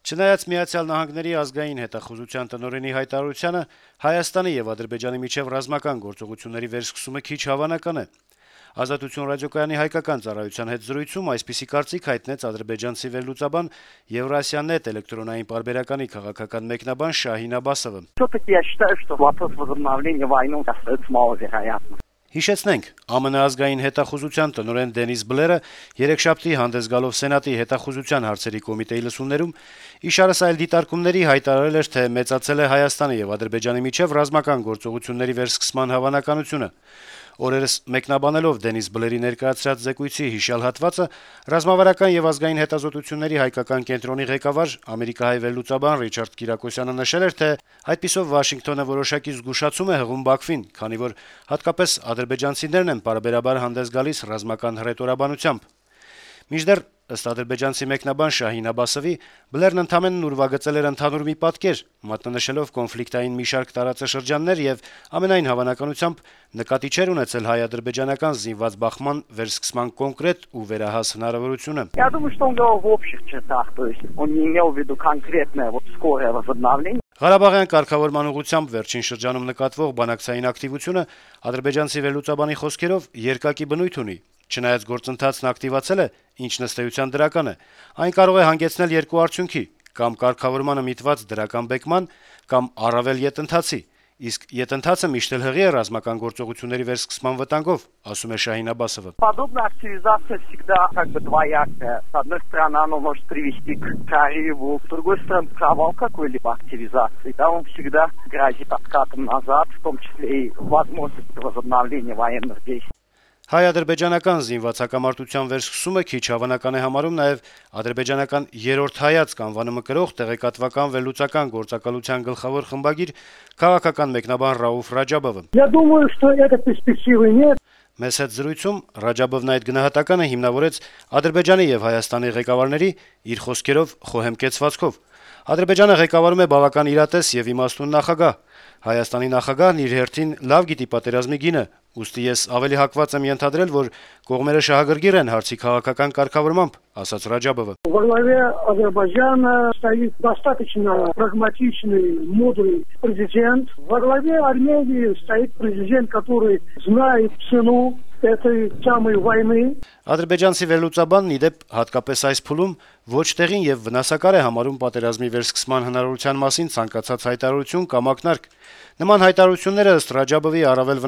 Չնայած Միացյալ Նահանգների ազգային հետախուզության տնօրենի հայտարարությանը, Հայաստանի եւ Ադրբեջանի միջեւ ռազմական գործողությունների վերսկսումը քիչ հավանական է։ «Ազատություն» ռադիոկայանի հայկական ծառայության հետ զրույցում այսպիսի կարծիք հայտնեց ադրբեջանցի վերլուծաբան Եվրասիա.net էլեկտրոնային պարբերականի քաղաքական մեկնաբան Շահին Աբասովը։ Всё-таки я считаю, что вопрос возобновления войны остаётся маловероятным. Հիշեցնենք, ԱՄՆ ազգային հետախուզության տնօրեն Դենիս Բլերը երեքշաբթի հանդես գալով Սենատի հետախուզության հարցերի կոմիտեի լսումներում իշարս այլ դիտարկումների հայտարարել էր, թե մեծացել է Հայաստանի եւ Ադրբեջանի միջեւ ռազմական գործողությունների վերսկսման հավանականությունը։ Օրերս մեկնաբանելով Դենիս Բլերի ներկայացրած զեկույցի հիշյալ հատվածը, ռազմավարական եւ ազգային հետազոտությունների հայկական կենտրոնի ղեկավար ամերիկահայ վերլուծաբան Ռիչարդ Կիրակոսյանը նշել էր, թե այդպիսով Վաշինգտոնը որոշակի զգուշացում է հղում Բաքվին, քանի որ հատկապես ադրբեջանցիներն են պարբերաբար հանդես գալիս ռազմական հռետորաբանությամբ։ Մինչդեռ, ըստ ադրբեջանցի մեկնաբան Շահին Աբասովի, Բլերն ընդամենն ուրվագծել էր ընդհանուր մի պատկեր, մատնանշելով կոնֆլիկտային մի շարք տարածաշրջաններ եւ ամենայն հավանականությամբ նկատի չէր ունեցել հայ-ադրբեջանական զինված բախման վերսկսման կոնկրետ ու վերահաս հնարավորությունը։ Я думаю, что он говорил в общих чертах, то есть он не имел в виду конкретное скорое возобновление. Ղարաբաղյան կարգավորման ուղղությամբ վերջին շրջանում նկատվող բանակցային ակտիվությունը ադրբեջանցի վերլուծաբանի խոսքերով երկակի բնույթ ունի։ Չնայած գործընթացն ակտիվացել է, ինչ ըստ էության դրական է, այն կարող է հանգեցնել երկու արդյունքի՝ կամ կարգավորմանը միտված դրական բեկման, կամ առավել ետընթացի, իսկ ետընթացը միշտ էլ հղի է ռազմական գործողությունների վերսկսման вытангов, ասում է Շահին Աբասովը։ Подобная активизация всегда двоякая. С одной стороны, оно может привести к прорыву, с другой стороны, провал какой-либо активизации. Да, он всегда грозит откатом назад, в том числе и возможностью возобновления военных действий. Հայ-ադրբեջանական զինված հակամարտության վերսկսումը քիչ հավանական է համարում նաև ադրբեջանական երրորդ հայացք անվանումը կրող տեղեկատվական վերլուծական գործակալության գլխավոր խմբագիր քաղաքական մեկնաբան Ռաուֆ Ռաջաբովը։ Я думаю, что этой перспективы нет. Մեծ հետ զրույցում Ռաջաբովն այդ գնահատականը հիմնավորեց Ադրբեջանի եւ Հայաստանի ղեկավարների իր խոսքերով խոհեմ կեցվածքով։ Ադրբեջանը ղեկավարում է բավական իրատես եւ իմաստուն նախագահ։ Հայաստանի նախագահն իր հերթին լավ գիտի պատերազմի գինը, ուստի ես ավելի հակված եմ ենթադրել, որ կողմերը շահագրգիռ են հարցի քաղաքական կարգավորմամբ, ասաց Ռաջաբովը։ Во главе Азербайджана стоит достаточно прагматичный, мудрый президент. Во главе Армении стоит президент, который знает цену этой самой войны. Ադրբեջանցի վերլուծաբանն ի դեպ հատկապես այս փուլում ոչ տեղին եւ վնասակար է համարում պատերազմի վերսկսման հնարավորության մասին ցանկացած հայտարարություն կամ ակնարկ։ Նման հայտարարությունները ըստ Ռաջաբովի առավել